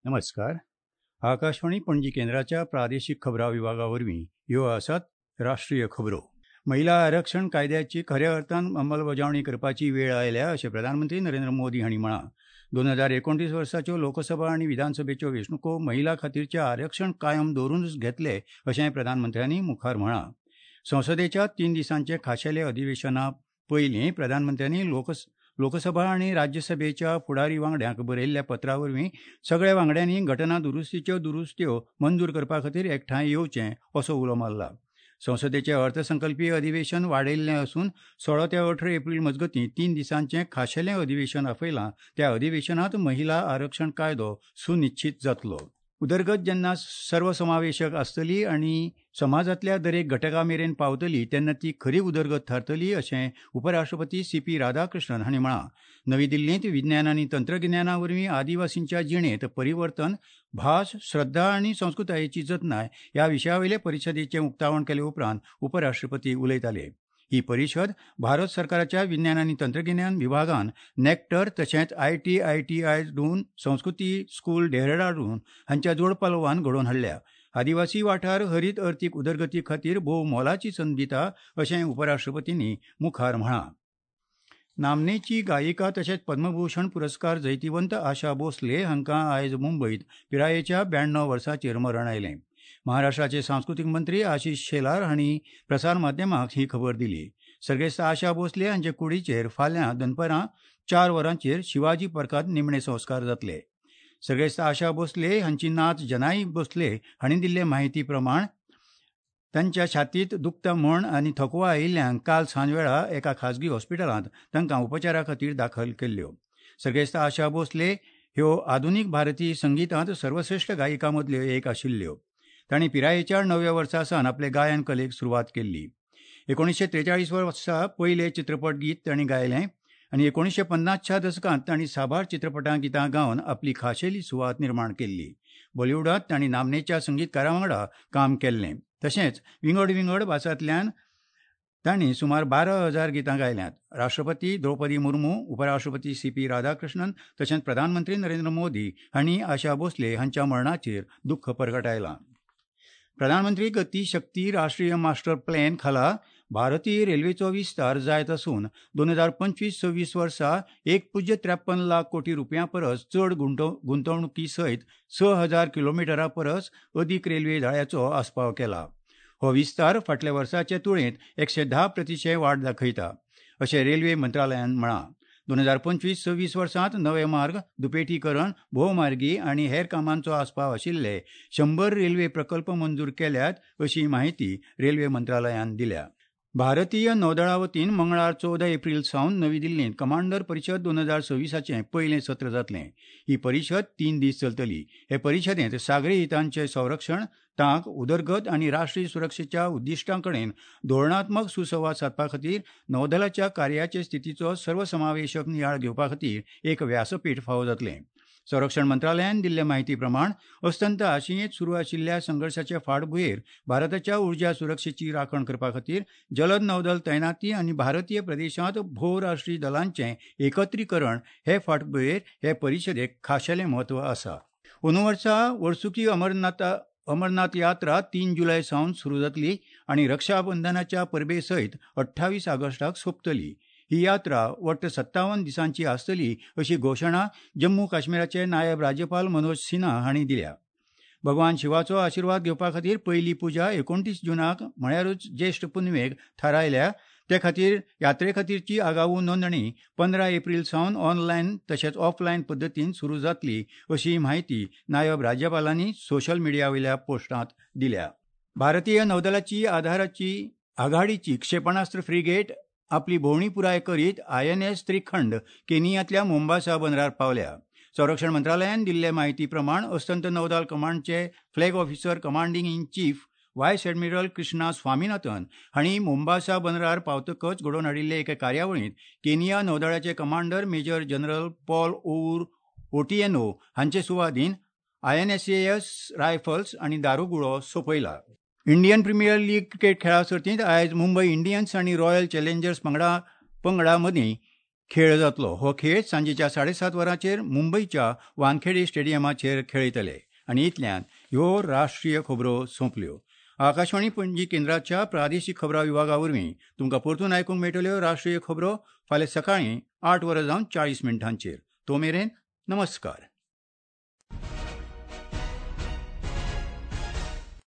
नमस्कार. आकाशवाणी पणजी केंद्राच्या प्रादेशीक खबरां विभागा वरवीं ह्यो आसात राष्ट्रीय खबरो. महिला आरक्षण कायद्याची खऱ्या अर्थान अंमलबजावणी करपाची वेळ आयल्या अशें प्रधानमंत्री नरेंद्र मोदी हांणी म्हळां. 2029 वर्साच्यो लोकसभा आनी विधानसभेच्यो वेंचणुको महिला खातीरचें आरक्षण कायम दवरूनच घेतले अशें प्रधानमंत्र्यांनी मुखार म्हळां. संसदेच्या 3 दिसांचे खाशेले अधिवेशना पयलीं प्रधानमंत्र्यांनी लोकसभा आनी राज्यसभेच्या फुडारी वांगड्यांक बरयल्ल्या पत्रा वरवीं सगळ्या वांगड्यांनी घटना दुरुस्तीच्यो दुरुस्त्यो मंजूर करपा खातीर एकठांय येवचें असो उलो मारला. संसदेचें अर्थसंकल्पीय अधिवेशन वाडयिल्लें आसून 16 ते 18 एप्रील मजगतीं 3 दिसांचें खाशेलें अधिवेशन आपयलां. त्या अधिवेशनांत महिला आरक्षण कायदो सुनिश्चीत जातलो. उदरगत जेन्ना सर्वसमावेशक आसतली आनी समाजांतल्या दरेक घटका मेरेन पावतली तेन्ना ती खरी उदरगत थारतली अशें उपराष्ट्रपती सी.पी. राधाकृष्णन हांणी म्हळां. नवी दिल्लींत विज्ञान आनी तंत्रगिन्याना वरवीं आदिवासींच्या जिणेंत परिवर्तन, भास, श्रद्धा आनी संस्कृतायेची जतनाय ह्या विशया वयले परिशदेचें उक्तावण केले उपरांत उपराष्ट्रपती उलयताले. ही परिशद भारत सरकाराच्या विज्ञान आनी तंत्रगिन्यान विभागान नॅक्टर तशेंच ITITI Doon, संस्कृती स्कूल डेहराडून हांच्या जोडपालवान घडोवन हाडल्या. आदिवासी वाठार हरीत अर्थीक उदरगती खातीर भोव मोलाची संद दिता अशें उपराष्ट्रपतींनी मुखार म्हळां. नामनेची गायिका तशेंच पद्मभूषण पुरस्कार जैतिवंत आशा भोसले हांकां आयज मुंबयत पिरायेच्या 92 वर्सांचेर मरण आयलें. महाराष्ट्राचे सांस्कृतीक मंत्री आशिष शेलार हांणी प्रसार माध्यमांक ही खबर दिली. सर्गेस्त आशा भोसले हांचे कुडीचेर फाल्यां दनपरां 4 वरांचेर शिवाजी पार्कांत निमणे संस्कार जातले. सर्गेस्त आशा भोसले हांची नात जनाई भोसले हांणी दिल्ले म्हायती प्रमाण तांच्या छातीत दुखता म्हण आनी थकवा आयिल्ल्यान काल सांजवेळा एका खाजगी हॉस्पिटलांत तांकां उपचारा खातीर दाखल केल्ल्यो. सर्गेस्त आशा भोसले ह्यो आधुनीक भारतीय संगितांत सर्वश्रेश्ठ गायिकां मदल्यो एक आशिल्ल्यो. तांणी पिरायेच्या 9व्या वर्सा सावन आपले गायन कलेक सुरवात केल्ली. 1943 वर्सा पयलें चित्रपट गीत तांणी गायलें आनी 1950च्या दसकांत तांणी साबार चित्रपटां गितां गावन आपली खाशेली सुवात निर्माण केल्ली. बॉलिवूडांत तांणी नामनेच्या संगीतकारां वांगडा काम केल्लें. तशेंच विंगड विंगड भासांतल्यान तांणी सुमार 12,000 गितां गायल्यांत. राष्ट्रपती द्रौपदी मुर्मू, उपराष्ट्रपती सी.पी. राधाकृष्णन तशेंच प्रधानमंत्री नरेंद्र मोदी हांणी आशा भोसले हांच्या मरणाचेर दुख्ख परगटायलां. प्रधानमंत्री गती शक्ती राष्ट्रीय मास्टर प्लॅन खाला भारतीय रेल्वेचो विस्तार जायत आसून 2025-26 वर्सा 1.53 लाख कोटी रुपयां परस चड गुंतवणुकी सयत 6,000 किलोमिटरा परस अदीक रेल्वे जाळ्याचो आस्पाव केला. हो विस्तार फाटल्या वर्साचे तुळेंत 110% वाड दाखयता अशें रेल्वे मंत्रालयान म्हळां. 2025-26 वर्सांत नवे मार्ग, दुपेटीकरण, भोवमार्गी आनी हेर कामांचो आस्पाव आशिल्ले 100 रेल्वे प्रकल्प मंजूर केल्यात अशी म्हायती रेल्वे मंत्रालयान दिल्या. भारतीय नौदळा वतीन मंगळार 14 एप्रील सावन नवी दिल्लींत कमांडर परिशद 2026चें पयलें सत्र जातलें. ही परिशद 3 दीस चलतली. हे परिशदेंत सागरी हितांचें संरक्षण, तांक, उदरगत आनी राष्ट्रीय सुरक्षेच्या उद्दिश्टां कडेन धोरणात्मक सुसंवाद सादपा खातीर नौदलाच्या कार्याचे स्थितीचो सर्वसमावेशक नियाळ घेवपा खातीर एक व्यासपीठ फावो जातलें. संरक्षण मंत्रालयान दिल्ले म्हायती प्रमाण अस्तंत आशियेंत सुरू आशिल्ल्या संघर्शाचे फाटभुंयेर भारताच्या उर्जा सुरक्षेची राखण करपा खातीर जलद नौदल तैनाती आनी भारतीय प्रदेशांत भोवराष्ट्रीय दलांचें एकत्रीकरण हे फाटभुंयेर हे परिशदेक खाशेलें म्हत्व आसा. अंदू वर्सा वर्सुकी अमरनाथ यात्रा 3 जुलय सावन सुरू जातली आनी रक्षाबंधनाच्या परबे सयत 28 ऑगस्टाक सोंपतली. ही यात्रा वट्ट 57 दिसांची आसतली अशी घोशणा जम्मू काश्मीराचे नायब राज्यपाल मनोज सिन्हा हांणी दिल्या. भगवान शिवाचो आशिर्वाद घेवपा खातीर पयली पुजा 29 जुनाक म्हळ्यारूच ज्येश्ठ पुनवेक थारायल्या. ते खातीर यात्रे खातीरची आगाऊ नोंदणी 15 एप्रील सावन ऑनलायन तशेंच ऑफलायन पद्दतीन सुरू जातली अशी म्हायती नायब राज्यपालांनी सोशल मिडिया वयल्या पोस्टांत दिल्या. भारतीय नौदलाची आधाराची आघाडीची क्षेपणास्त्र फ्रिगेट आपली भोंवडी पुराय करीत INS Trikand केनियांतल्या मोम्बासा बंदरार पावल्या. संरक्षण मंत्रालयान दिल्ले म्हायती प्रमाण अस्तंत नौदल कमांडचे flag officer commanding in chief vice admiral Krishna Swaminathan हांणी मोम्बासा बंदरार पावतकच घडोवन हाडिल्ले एके कार्यावळींत Kenya नौदळाचे commander major general Paul Owuor Otieno हांचे सुवादीन INSAS rifles आनी दारुगुळो सोंपयला. इंडियन प्रिमियर लीग क्रिकेट खेळा सर्तींत आयज मुंबय इंडियन्स आनी रॉयल चॅलेंजर्स पंगडा मदीं खेळ जातलो. हो खेळ सांजेच्या 7:30 वरांचेर मुंबयच्या वानखेडे स्टेडियमाचेर खेळयतले. आनी इतल्यान ह्यो राष्ट्रीय खबरो सोंपल्यो. आकाशवाणी पणजी केंद्राच्या प्रादेशीक खबरां विभागा वरवीं तुमकां परतून आयकूंक मेळटल्यो राष्ट्रीय खबरो फाल्यां सकाळीं 8:40. तो मेरेन नमस्कार.